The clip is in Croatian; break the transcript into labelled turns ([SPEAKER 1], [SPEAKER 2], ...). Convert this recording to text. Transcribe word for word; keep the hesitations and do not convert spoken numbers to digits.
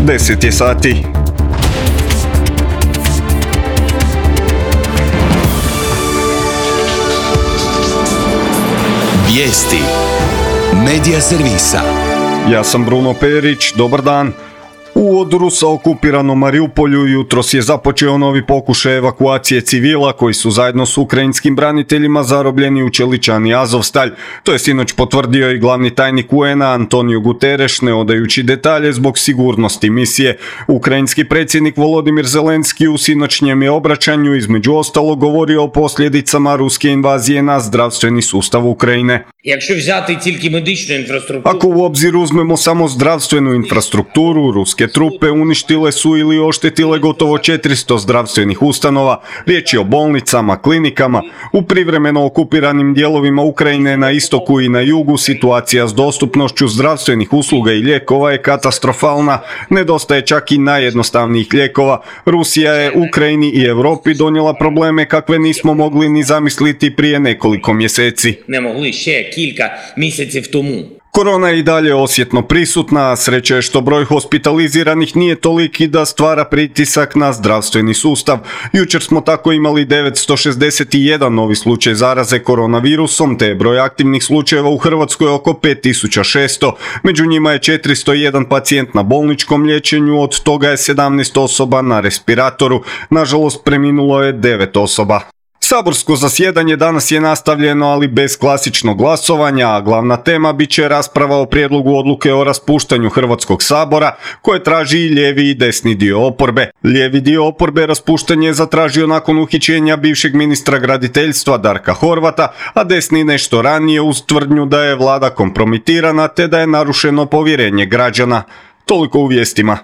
[SPEAKER 1] deset je sati.
[SPEAKER 2] Vijesti Medija servisa.
[SPEAKER 1] Ja sam Bruno Perić, dobar dan. U od Rusa okupiranom Mariupolju jutros je započeo novi pokušaj evakuacije civila koji su zajedno s ukrajinskim braniteljima zarobljeni u čeličani Azovstalj. To je sinoć potvrdio i glavni tajnik U N A Antonio Guterres, ne odajući detalje zbog sigurnosti misije. Ukrajinski predsjednik Volodimir Zelenski u sinoćnjem je obraćanju između ostalog govorio o posljedicama ruske invazije na zdravstveni sustav Ukrajine. Ako u obzir uzmemo samo zdravstvenu infrastrukturu, ruske trupe uništile su ili oštetile gotovo četiristo zdravstvenih ustanova, riječ je o bolnicama, klinikama. U privremeno okupiranim dijelovima Ukrajine na istoku i na jugu situacija s dostupnošću zdravstvenih usluga i lijekova je katastrofalna, nedostaje čak i najjednostavnijih lijekova. Rusija je Ukrajini i Europi donijela probleme kakve nismo mogli ni zamisliti prije nekoliko mjeseci.
[SPEAKER 3] Ne mogli še kilka mjesecev tomu.
[SPEAKER 1] Korona je i dalje osjetno prisutna, a sreća je što broj hospitaliziranih nije toliki da stvara pritisak na zdravstveni sustav. Jučer smo tako imali devetsto šezdeset jedan novi slučaj zaraze koronavirusom, te je broj aktivnih slučajeva u Hrvatskoj oko pet tisuća šesto. Među njima je četiristo jedan pacijent na bolničkom liječenju, od toga je sedamnaest osoba na respiratoru. Nažalost, preminulo je devet osoba. Saborsko zasjedanje danas je nastavljeno, ali bez klasičnog glasovanja, a glavna tema bit će rasprava o prijedlogu odluke o raspuštanju Hrvatskog sabora, koje traži i lijevi i desni dio oporbe. Lijevi dio oporbe raspuštanje je zatražio nakon uhićenja bivšeg ministra graditeljstva Darka Horvata, a desni nešto ranije uz tvrdnju da je vlada kompromitirana te da je narušeno povjerenje građana. Toliko u vijestima.